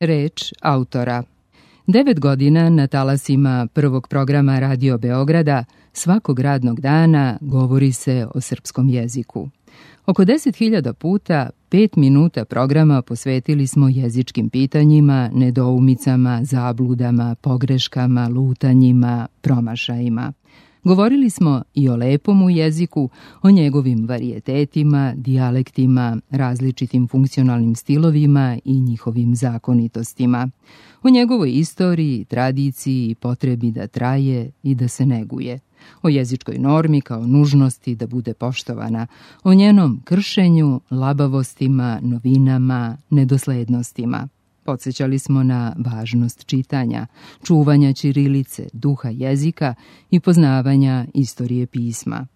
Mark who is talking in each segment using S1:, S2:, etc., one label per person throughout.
S1: Reč autora. 9 godina na talasima prvog programa Radio Beograda svakog radnog dana govori se o srpskom jeziku. Oko 10.000 puta 5 minuta programa posvetili smo jezičkim pitanjima, nedoumicama, zabludama, pogreškama, lutanjima, promašajima. Govorili smo i o lepom jeziku, o njegovim varijetetima, dijalektima, različitim funkcionalnim stilovima i njihovim zakonitostima, o njegovoj istoriji, tradiciji i potrebi da traje i da se neguje, o jezičkoj normi kao nužnosti da bude poštovana, o njenom kršenju, labavostima, novinama, nedoslednostima. Podsećali smo na važnost čitanja, čuvanja ćirilice, duha jezika i poznavanja istorije pisma.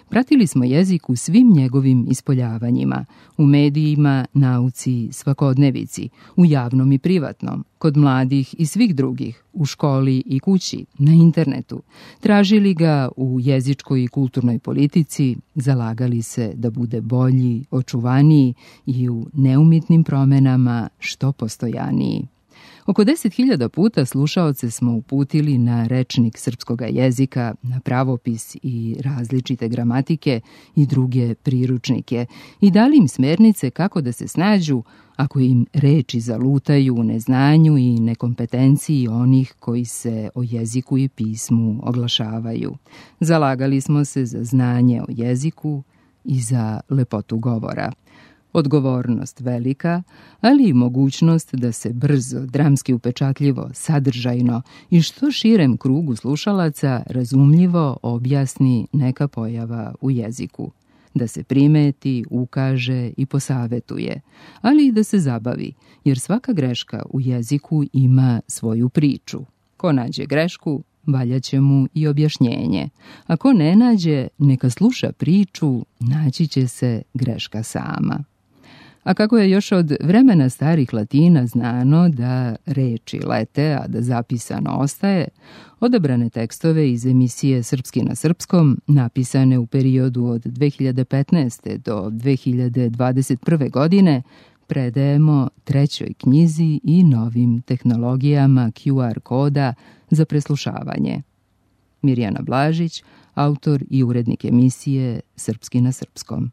S1: Pratili smo jezik u svim njegovim ispoljavanjima, u medijima, nauci, svakodnevici, u javnom i privatnom, kod mladih i svih drugih, u školi i kući, na internetu. Tražili ga u jezičkoj i kulturnoj politici, zalagali se da bude bolji, očuvaniji i u neumitnim promenama što postojaniji. Oko 10.000 puta slušaoce smo uputili na rečnik srpskoga jezika, na pravopis i različite gramatike i druge priručnike i dali im smernice kako da se snađu ako im reči zalutaju u neznanju i nekompetenciji onih koji se o jeziku i pismu oglašavaju. Zalagali smo se za znanje o jeziku i za lepotu govora. Odgovornost velika, ali i mogućnost da se brzo, dramski upečatljivo, sadržajno i što širem krugu slušalaca razumljivo objasni neka pojava u jeziku. Da se primeti, ukaže i posavetuje, ali i da se zabavi, jer svaka greška u jeziku ima svoju priču. Ko nađe grešku, valjaće mu i objašnjenje. Ako ne nađe, neka sluša priču, naći će se greška sama. A kako je još od vremena starih Latina znano da reči lete, a da zapisano ostaje, odabrane tekstove iz emisije Srpski na srpskom, napisane u periodu od 2015. do 2021. godine, predajemo trećoj knjizi i novim tehnologijama QR koda za preslušavanje. Mirjana Blažić, autor i urednik emisije Srpski na srpskom.